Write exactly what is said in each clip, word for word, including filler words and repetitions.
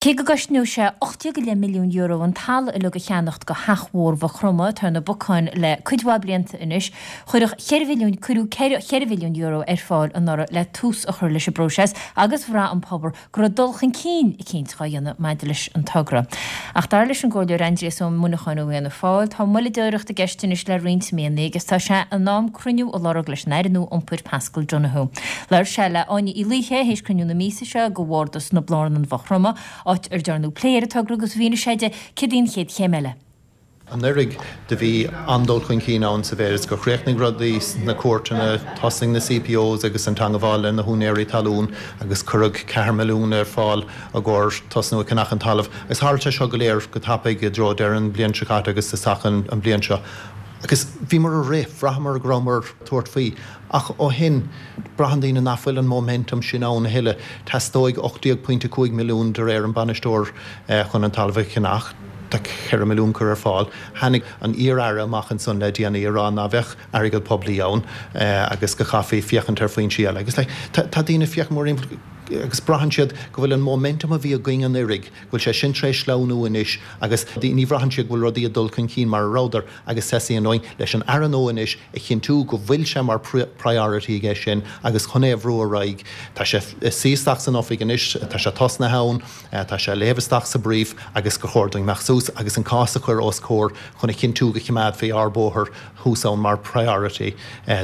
Cé go gcosnódh sé ocht déag go leith milliún euro an talamh uilig a cheannacht do Theach Mhór Mhaigh Chromtha, atá ar na bacáin le cuid mhaith blianta anois, chuirfeadh ceithre mhilliún cuireadh ceithre mhilliún euro ar fáil anuraidh le tús a chur leis an bpróiseas agus bhraith an pobal go raibh dul chun cinn eicínt á dhéanamh maidir leis an togra. Ach dar leis an gComhairleoir Aindrias Ó Muineacháin ó Fhianna Fáil, tá moilleadóireacht i gceist anois le roinnt míonna agus tá sé in am cruinniú a lorg leis an Aire nua Iompair Paschal Donohoe. Labhair sé le Áine Uí Laoithe théis cruinniú na míosa seo de Bhardas na Blarnan Mhaigh Chromtha, áit ar dearnadh plé ar an togra agus mhínigh sé di céard í an chéad chéim eile. Anuraidh do bhí an-dul chun cinn ann sa mhéid is gur chríochnaigh rudaí sna cúirteanna, thosaigh na CPOs agus an teangabháil le na húinéirí talún agus cuireadh ceathair milliún ar fáil i gcomhair tosnú ag ceannach an talaimh. Agus tharla sé seo go léir go tapaidh i dtreo deireadh an bhliain seo caite agus isteach an bhliain seo. Agus bhíomar ag rith, bhraitheamar go rabhamar ag tabhairt faoi. Ach ó shin, braitheann daoine nach bhfuil an móiminteam sin ann a thuilleadh. Teastóidh ocht déag pointe cúig milliún de réir an bainisteoir chun an talamh a cheannach. Tá ceithre milliún curtha ar fáil. Tháinig an iar-aire amach ansan le déanaí ag rá ná bheadh airgead poiblí ann agus go chaithfí féachaint ar foinsí eile. Agus tá daoine ag féachaint mórthimpeall agus braitheann siad go bhfuil an móiminteam a bhí againn anuraidh, go bhfuil sé sin tar éis sleamhnú anois agus ní bhraitheann siad go bhfuil rudaí ag dul chun cinn mar a rabhadar agus teastaíonn uainn leis an Aire nua anois a chinntiú go bhfuil sé mar priority aige sin agus chun é a bhrú ar aghaidh. Tá sé ag suí isteach san oifig anois, tá sé tosnaithe ann, tá sé ag léamh isteach sa brief agus gur chóir dúinn imeacht suas agus an cás a chur os comhair chun a chinntiú go choimeádfaí ár bóthar thuas ann mar priority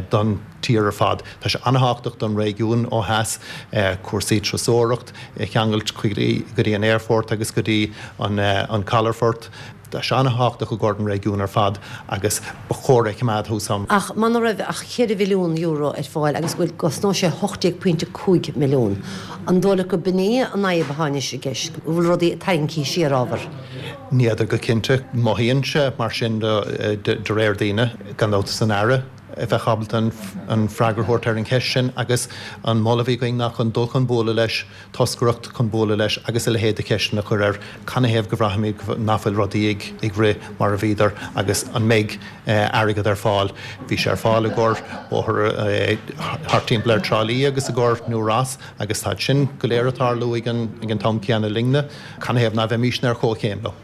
don tír ar fad. Tá sé an-thábhachtach don réigiún ó theas, cúrsaí turasóireacht a cheangailt go dtí an aerfort agus go dtí an calafort. Tá sé an-thábhachtach i gcomhair an réigiún ar fad agus ba chóir é a choimeád thuas ann. Ach muna raibh ach ceithre mhilliún euro ar fáil agus go gcosnódh sé hocht déag pointe cúig milliún, an dóigh leat go b'in í an fhadhb atá anois i gceist, go bhfuil rudaí tarraingthe siar ábhar? Ní fheadar go cinnte. Mothaíonn sé mar sin de réir daoine, gan dabht is an Aire a bheadh ábalta an freagra a thabhairt ar an cheist sin agus an moladh a bhí againn ná chun dul chun bualadh leis, toscaireacht chun bualadh leis agus a leithéid de cheisteanna a chur air, canathaobh go bhraithimid nach bhfuil rudaí ag rith mar a bhíodar agus an mbeidh airgead ar fáil. Bhí sé ar fáil i gcomhair bóthar thart timpeall ar Trá Lí agus i gcomhair New Ross agus táid sin go léir ag tarlú ag an t-am céanna linne. Canathaobh ná bheimísne ar chomhchéim leo?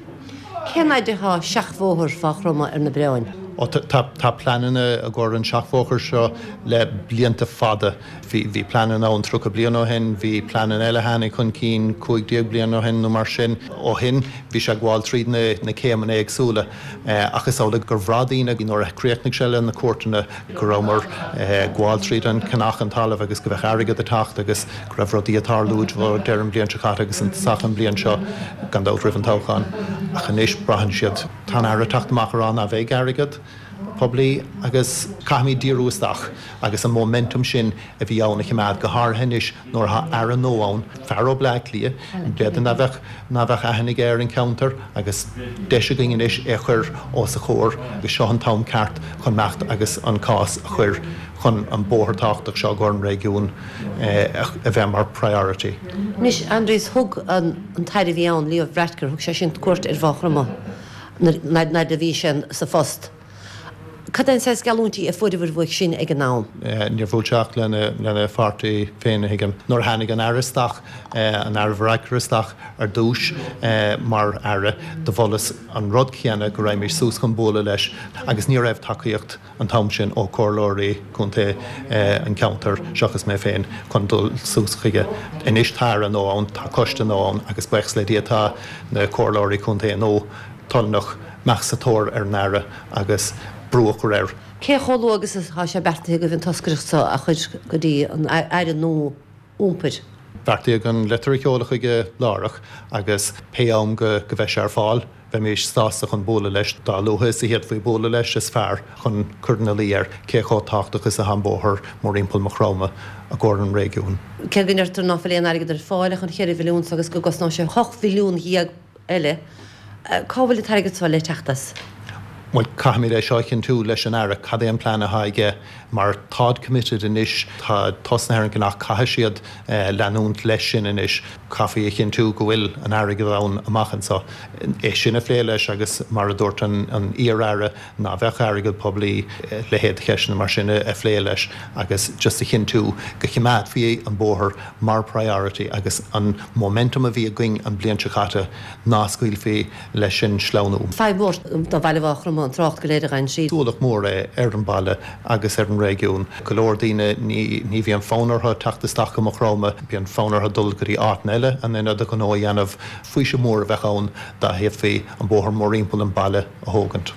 Cén fhaid atá seachbhóthar Mhaigh Chromtha ar na bioráin? Ó tá pleananna i gcomhair an seachbhóthar seo le blianta fada. Bhí bhí pleananna ann tríocha bliain ó shin, bhí pleananna eile a tháinig chun cinn cúig déag bliain ó shin nó mar sin. Ó shin bhí sé ag gabháil tríd na na céimeanna éagsúla ach is amhlaidh gur bhraith daoine nuair a chríochnaigh sé le na cúirteanna go rabhamar ag gabháil tríd an ceannach an talaimh agus go bheadh airgead ag teacht agus go raibh rudaí ag tarlú deireadh an bhliain seo caite agus an tosach an bhliain seo gan dabht roimh an toghchán. Ach anois braitheann siad, tá an Aire ag teacht amach ag rá ná bheidh airgead poiblí agus caithfimid díriú isteach agus an móiminteam sin a bhí ann a choimeád, go háirithe anois nuair atá Aire nua ann, fear ó Bleá Cliath, b'fhéidir ná bheadh ná bheadh aithne aige ar an cheantar agus deis againn anois é a chur os a chomhair agus seo an t-am ceart chun imeacht agus an cás a chur chun an bóthar tábhachtach seo i gcomhair an réigiún a bheith mar priority. Anois, Aindrias, thug an tAire a bhí ann, Leo Varadkar, thug sé sin cuairt ar Mhaigh Chromtha nuair a bhí sé sa phost. Cad é an saghas geallúintí a fuaireabhair uaidh sin ag an am? Níor bhuail sé ach lena pháirtí féin, a thuigim. Nuair a tháinig an Aire isteach, an Aire Varadkar isteach ar dtús mar Aire, do mholas an rud céanna, go raghaimís suas chun bualadh leis agus ní raibh tacaíocht an t-am sin ó chomhairleoirí contae an cheantair, seachas mé féin, chun dul suas chuige. Anois tá Aire nua ann, tá coiste nua ann agus buíochas le Dia tá na comhairleoirí contae nua toilteanach imeacht sa tóir ar an Aire agus brú a chur air. Cé chomh luath agus atá sé beartaithe agaibh an toscaireacht seo a chur go dtí an Aire nua Iompair? Beartaíodh an litir a sheoladh chuige láithreach agus pé am go mbeidh sé ar fáil, bheimís sásta chun bualadh leis. Dá luaithe is a d'fhéadfaí bualadh leis is fearr chun cur ina luí air cé chomh tábhachtach is atá an bóthar mórthimpeall Maigh Chromtha i gcomhair an réigiúin. Cé go ndeirtear ná fuil aon airgead ar fáil ach an cheithre mhilliún so agus go gcosnóidh sé ocht mhilliún dhéag eile, cá bhfuil an t-airgead so le teacht as? Bhuel, caithfimid é seo a chinntiú leis an Aire, cad é an plean atá aige, mar táid committed anois, tá tosnaithe ar an gcnoc, caithfidh siad leanúint leis sin anois. Caithfí a chinntiú go bhfuil an airgead ann amach anseo. É sin a phlé leis agus mar a dúirt an iar-aire ná bheadh airgead poiblí, leithéid de cheisteanna mar sin a phlé leis agus just a chinntiú go choimeádfaí an bóthar mar priority agus an momentum a bhí againn an bliain seo caite ná scaoilfí leis sin sleamhnú. Fadhb mhór do bhaile Mhaigh Chromtha an trácht go léir a ghabhann tríd. Ualach mór é ar an baile agus ar an réigiún. Go leor daoine ní ní bhíonn fonn orthu teacht isteach go Maigh Chromtha, bíonn fonn orthu dul go dtí áiteanna eile in ionad a ghnó a dhéanamh. Faoiseamh mór a bheadh ann dá bhféadfaí an bóthar mórthimpeall an baile a thógaint.